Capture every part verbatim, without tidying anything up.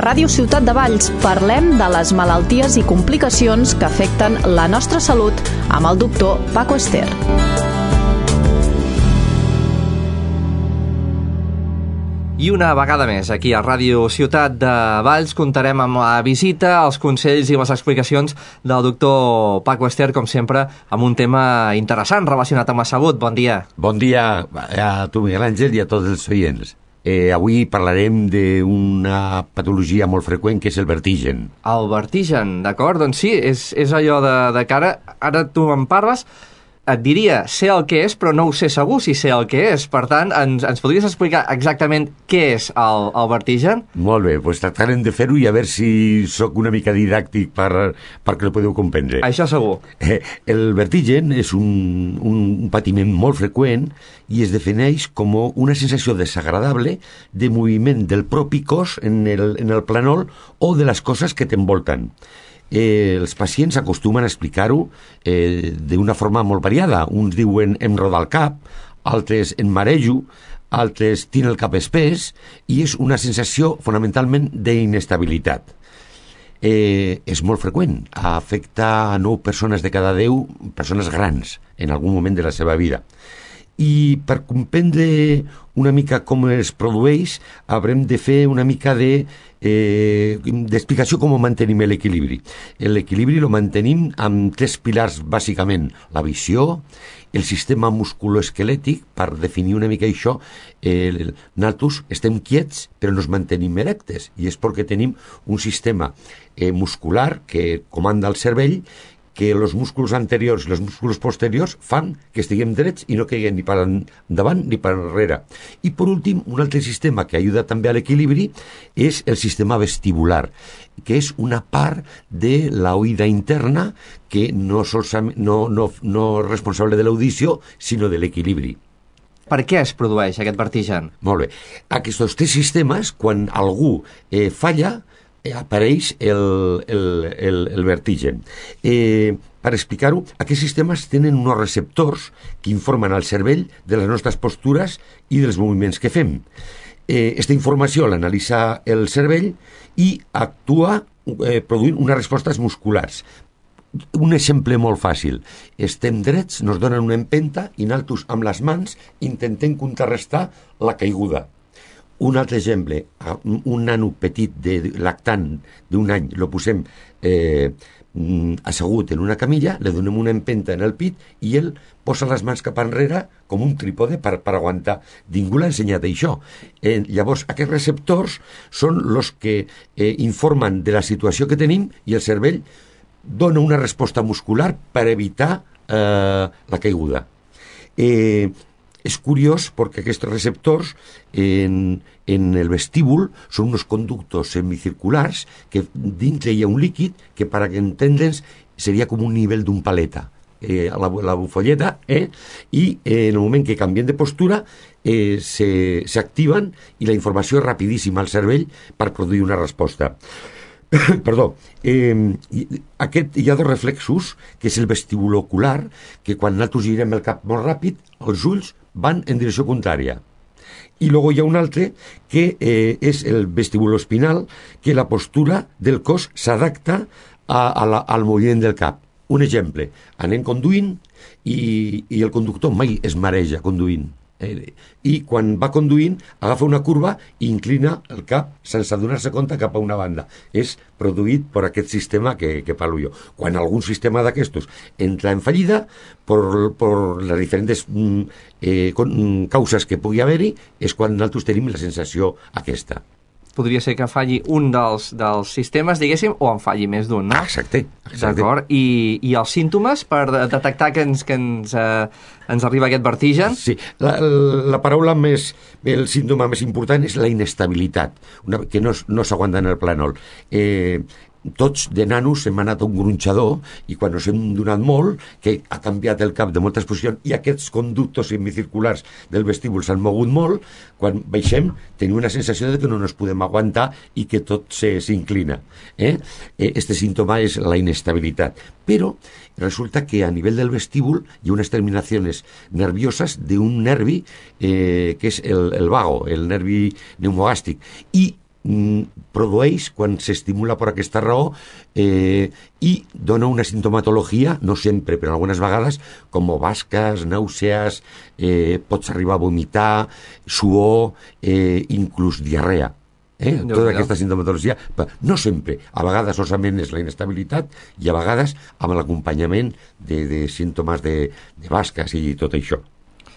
Ràdio Ciutat de Valls parlem de les malalties i complicacions que afecten la nostra salut amb el doctor Paco Ester. I una vegada més, aquí a Ràdio Ciutat de Valls contarem amb la visita, els consells i les explicacions del doctor Paco Ester, com sempre, amb un tema interessant relacionat amb la salut. Bon dia. Bon dia a tu, Miguel Àngel, i a tots els oients. Eh, avui parlarem d'una patologia molt freqüent, que és el vertigen. El vertigen, d'acord? Doncs sí, és, és allò de, de cara. Ara tu em parles, et diria sé el que és, però no ho sé segur si sé el que és. Per tant, ens, ens podries explicar exactament què és el, el vertigen? Molt bé, doncs tractarem de fer-ho i a veure si sóc una mica didàctic per, perquè el podeu comprendre. Això segur. Eh, el vertigen és un, un patiment molt freqüent i es defineix com una sensació desagradable de moviment del propi cos en el, en el planol o de les coses que t'envolten. Eh, els pacients acostumen a explicar-ho eh, d'una forma molt variada. Uns diuen em roda el cap, altres em marejo, altres tinc el cap espès, i és una sensació fonamentalment d'inestabilitat. Eh, és molt freqüent, afecta a nou persones de cada deu persones grans en algun moment de la seva vida. I per comprendre una mica com es produeix haurem de fer una mica de eh, d'explicació com mantenim l'equilibri. L'equilibri lo mantenim amb tres pilars bàsicament: la visió, el sistema musculoesquelètic. Per definir una mica això, eh, nosaltres estem quiets però nos mantenim erectes, i és perquè tenim un sistema eh, muscular que comanda el cervell, que els músculs anteriors i els músculs posteriors fan que estiguem drets i no caiguem ni per endavant ni per enrere. I per últim, un altre sistema que ajuda també a l'equilibri és el sistema vestibular, que és una part de l'oïda interna que no, solament, no, no, no és responsable de l'audició, sinó de l'equilibri. Per què es produeix aquest vertigen? Molt bé. Aquests tres sistemes, quan algú eh, falla, apareix el, el, el, el vertigen. Eh, per explicar-ho, aquests sistemes tenen uns receptors que informen al cervell de les nostres postures i dels moviments que fem. Eh, esta informació l'analitza el cervell i actua eh, produint unes respostes musculars. Un exemple molt fàcil: estem drets, nos donen una empenta i nosaltres amb les mans intentem contrarrestar la caiguda. Un altre exemple: un nano petit de lactant d'un any lo posem eh, assegut en una camilla, li donem una empenta en el pit i ell posa les mans cap enrere com un trípode per, per aguantar. Ningú l'ha ensenyat això. Eh, llavors, aquests receptors són els que eh, informen de la situació que tenim, i el cervell dona una resposta muscular per evitar eh, la caiguda. Eh, És curiós perquè aquests receptors en, en el vestíbul són uns conductos semicirculars que dintre hi ha un líquid que, per entendre'ns, seria com un nivell d'un paleta, eh, la, la bufolleta, eh, i eh, en el moment que canvien de postura eh, s'activen i la informació és rapidíssima al cervell per produir una resposta. Perdó, eh, aquest, hi ha dos reflexos, que és el vestibulocular, que quan nosaltres girem el cap molt ràpid, els ulls van en direcció contrària. I després hi ha un altre, que eh, és el vestibuloespinal, que la postura del cos s'adapta a, a la, al moviment del cap. Un exemple: anem conduint i, i el conductor mai es mareja conduint. Eh, i quan va conduint agafa una curva i inclina el cap sense adonar-se compte cap a una banda. És produït per aquest sistema que, que parlo jo. Quan algun sistema d'aquestos entra en fallida per, per les diferents eh, causes que pugui haver-hi, és quan nosaltres tenim la sensació aquesta. Podria ser que falli un dels, dels sistemes, diguéssim, o en falli més d'un, no? Exacte. exacte. D'acord. I, I els símptomes per detectar que ens, que ens, eh, ens arriba aquest vertigen? Sí. La, la paraula més, el símptoma més important és la inestabilitat, una, que no, no s'aguanta en el plànol. Eh, tots de nanos hem anat a un gronxador i quan ens hem donat molt, que ha canviat el cap de moltes posicions i aquests conductos semicirculars del vestíbul s'han mogut molt, quan baixem tenim una sensació de que no ens podem aguantar i que tot s'inclina. Eh? Este símptoma és la inestabilitat. Però resulta que a nivell del vestíbul hi ha unes terminacions nervioses d'un nervi eh, que és el, el vago, el nervi pneumogàstric, i produeix quan s'estimula per aquesta raó eh, i dona una sintomatologia, no sempre, però algunes vegades, com basques, nàusees, eh, pots arribar a vomitar, suor, eh, inclús diarrea. Eh? Tota aquesta sintomatologia, no sempre, a vegades solament és la inestabilitat i a vegades amb l'acompanyament de, de símptomes de, de basques i tot això.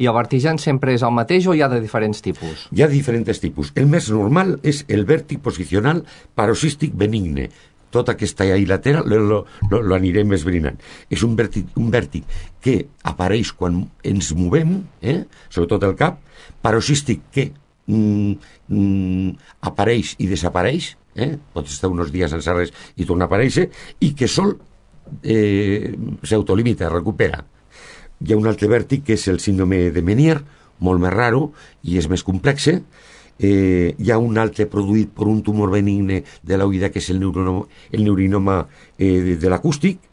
I el vertigen sempre és el mateix o hi ha de diferents tipus? Hi ha diferents tipus. El més normal és el vèrtic posicional paroxístic benigne. Tota aquesta il·latera lo, lo, lo, lo anirem esbrinant. És un vèrtic, un vèrtic que apareix quan ens movem, eh? Sobretot el cap, paroxístic que mm, mm, apareix i desapareix, eh? Pot estar uns dies sense res i torna a aparèixer, i que sol eh, s'autolimita, recupera. Hi ha un altre vèrtic que és el síndrome de Meniere, molt més raro i és més complex. Eh, hi ha un altre produït per un tumor benigne de l'oïda que és el neurinoma, el neurinoma eh, de, de l'acústic.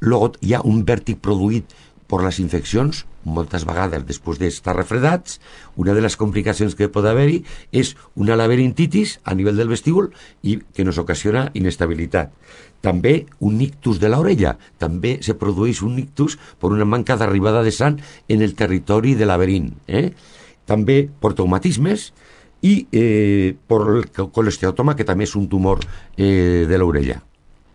Luego hi ha un vèrtic produït per les infeccions, moltes vegades després d'estar refredats. Una de les complicacions que pot haver-hi és una laberintitis a nivell del vestíbul i que nos ocasiona inestabilitat. També un ictus de l'orella. També se produeix un ictus per una manca d'arribada de sang en el territori de laberint. Eh? També per traumatismes i eh, per el colesteatoma, que també és un tumor eh, de l'orella.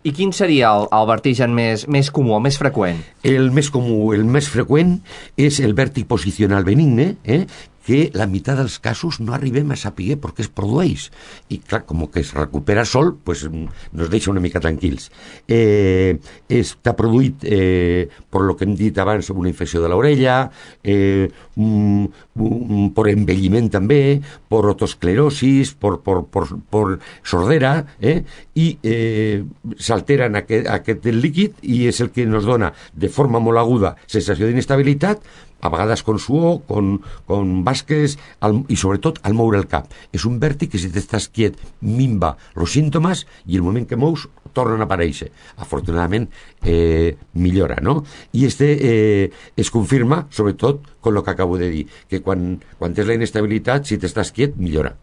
I quin seria el, el vertigen més, més comú, el més freqüent? El més comú, el més freqüent és el vèrtic posicional benigne, eh? que la meitat dels casos no arribem a saber per què es produeix. I clar, com que es recupera sol, pues, nos deixa una mica tranquils. Eh, està produït eh, per lo que hem dit abans, una infecció de l'orella, eh, um, um, per envelliment també, per otosclerosis, per, per, per, per sordera, eh? i eh, s'alteren aquest, aquest líquid i és el que nos dona de forma molt aguda sensació d'inestabilitat, a vegades con suor, con, con basques al, i sobretot al moure el cap. És un vèrtic que si t'estàs quiet minva els símptomes i el moment que mous tornen a aparèixer. Afortunadament eh, millora, no? I este eh, es confirma sobretot con lo que acabo de dir, que quan, quan tens la inestabilitat, si t'estàs quiet, millora.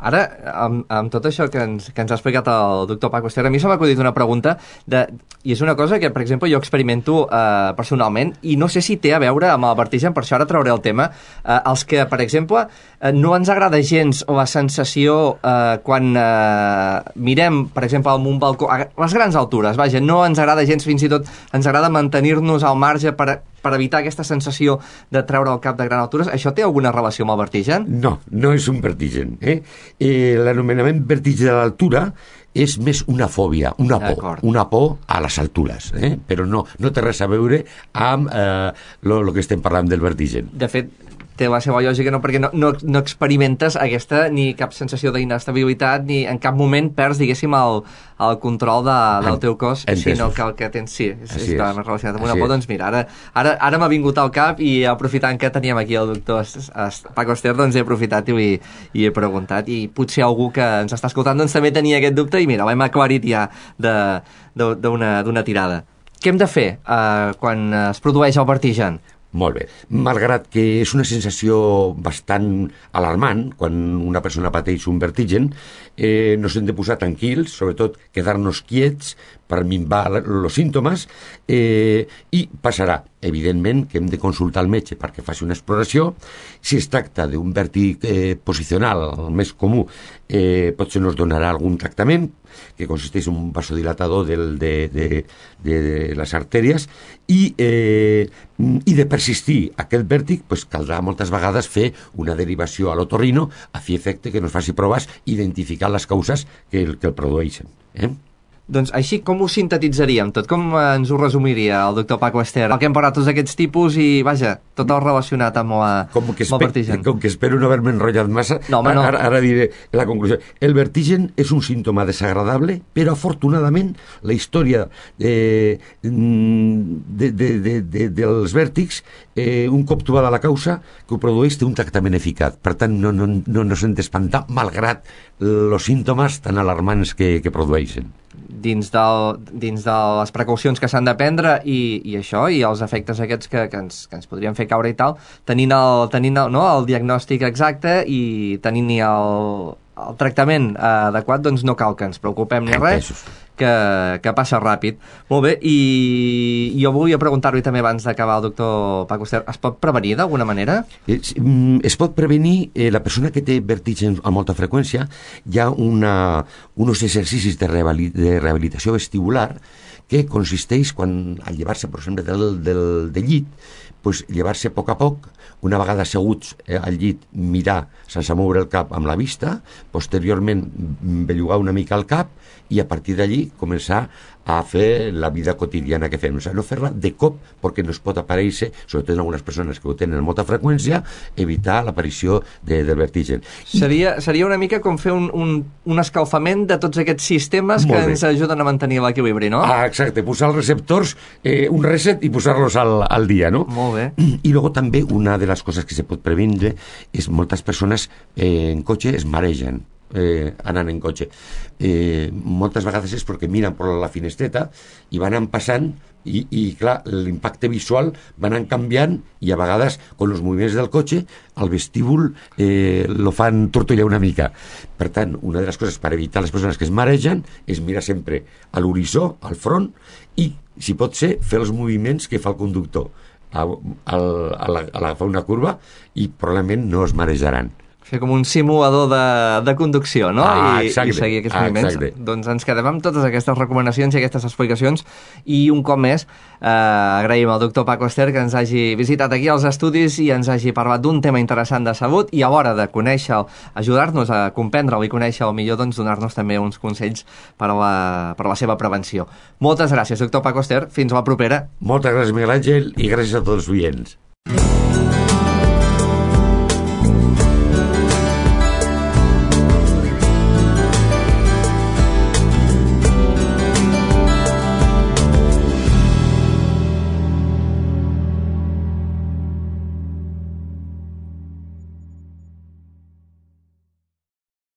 Ara, amb, amb tot això que ens, que ens ha explicat el doctor Paco Ester, a mi se m'ha acudit una pregunta, de, i és una cosa que, per exemple, jo experimento eh, personalment, i no sé si té a veure amb el vertigen, per això ara trauré el tema, eh, els que, per exemple, eh, no ens agrada gens la sensació eh, quan eh, mirem, per exemple, amb un balcó, a les grans altures, vaja, no ens agrada gens, fins i tot ens agrada mantenir-nos al marge per per evitar aquesta sensació de treure el cap de gran altures. Això té alguna relació amb el vertigen? No, no és un vertigen. Eh? Eh, l'anomenament vertigen de l'altura és més una fòbia, una por, una por a les altures, eh? Però no, no té res a veure amb eh, lo, lo que estem parlant del vertigen. De fet, té la seva lògica, no? Perquè no, no, no experimentes aquesta ni cap sensació d'inestabilitat, ni en cap moment perds, diguéssim, el, el control de, del teu cos, Entesos. Sinó que el que tens, sí, és, està més relacionat amb una Així por. Doncs mira, ara, ara, ara m'ha vingut al cap i aprofitant que teníem aquí el doctor Paco Ester, doncs he aprofitat i, i he preguntat, i potser algú que ens està escoltant doncs també tenia aquest dubte i mira, l'hem aclarit ja d'una tirada. Què hem de fer eh, quan es produeix el vertigen? Molt bé. Malgrat que és una sensació bastant alarmant quan una persona pateix un vertigen, eh, no s'hem de posar tranquils, sobretot quedar-nos quiets per minvar els símptomes, eh, i passarà. Evidentment que hem de consultar el metge perquè faci una exploració. Si es tracta d'un vèrtic eh, posicional, el més comú, eh, potser nos donarà algun tractament que consisteix en un vasodilatador del, de, de, de, de les artèries i, eh, i de persistir aquest vèrtic pues, caldrà moltes vegades fer una derivació a l'otorrino a fi efecte que nos faci proves identificar les causes que el, que el produeixen. Eh? Doncs així, com ho sintetitzaríem tot? Com ens ho resumiria el doctor Paco Ester? El que hem parlat tots aquests tipus i, vaja, tot el relacionat amb, la, com que amb el vertigen. Com que espero no haver-me enrotllat massa, no, home, no. Ara, ara diré la conclusió. El vertigen és un símptoma desagradable, però afortunadament la història eh, de, de, de, de, dels vèrtics, eh, un cop trobada la causa que ho produeix, té un tractament eficaç. Per tant, no, no, no, no s'hem d'espantar, malgrat els símptomes tan alarmants que, que produeixen. Dins, del, dins de les precaucions que s'han de prendre i, i això, i els efectes aquests que, que, ens, que ens podrien fer caure i tal, tenint el, tenint el, no, el diagnòstic exacte i tenint el, el tractament adequat, doncs no cal que ens preocupem ni res, que, que passa ràpid. Molt bé, i jo volia preguntar-li també abans d'acabar el doctor Paco Ester, es pot prevenir d'alguna manera? Es, es pot prevenir, eh, la persona que té vertigen a molta freqüència, hi ha una, uns exercicis de, rehabilit, de rehabilitació vestibular que consisteix, quan, al llevar-se, per exemple, del, del, del llit, pues, llevar-se a poc a poc, una vegada asseguts eh, al llit, mirar sense moure el cap amb la vista, posteriorment bellugar una mica el cap i a partir d'allí començar a fer la vida quotidiana que fem. O sigui, no fer-la de cop perquè no es pot aparèixer, sobretot en algunes persones que ho tenen amb molta freqüència, evitar l'aparició de, del vertigen. Seria, seria una mica com fer un, un, un escalfament de tots aquests sistemes que ens ajuden a mantenir l'equilibri, no? Ah, exacte, posar els receptors, eh, un reset i posar-los al, al dia, no? Molt bé. I luego també una de les coses que se pot previndre és moltes persones eh, en cotxe es maregen. Eh, anant en cotxe eh, moltes vegades és perquè miren per la finestreta i van anant passant i, i clar, l'impacte visual va anant canviant i a vegades amb els moviments del cotxe el vestíbul eh, lo fan tortollar una mica. Per tant, una de les coses per evitar les persones que es maregen és mirar sempre a l'horitzó, al front, i si pot ser fer els moviments que fa el conductor a, a, a, la, a agafar una curva i probablement no es marejaran. Fer com un simulador de, de conducció, no? Ah, I, i seguir aquests ah, moviments. exacte. Doncs ens quedem amb totes aquestes recomanacions i aquestes explicacions i un cop més eh, agraïm al doctor Paco Ester que ens hagi visitat aquí als estudis i ens hagi parlat d'un tema interessant de salut i a l'hora de conèixer-lo, ajudar-nos a comprendre-lo i conèixer-lo millor, doncs donar-nos també uns consells per a, la, per a la seva prevenció. Moltes gràcies, doctor Paco Ester. Fins la propera. Moltes gràcies, Miguel Àngel, i gràcies a tots els oients.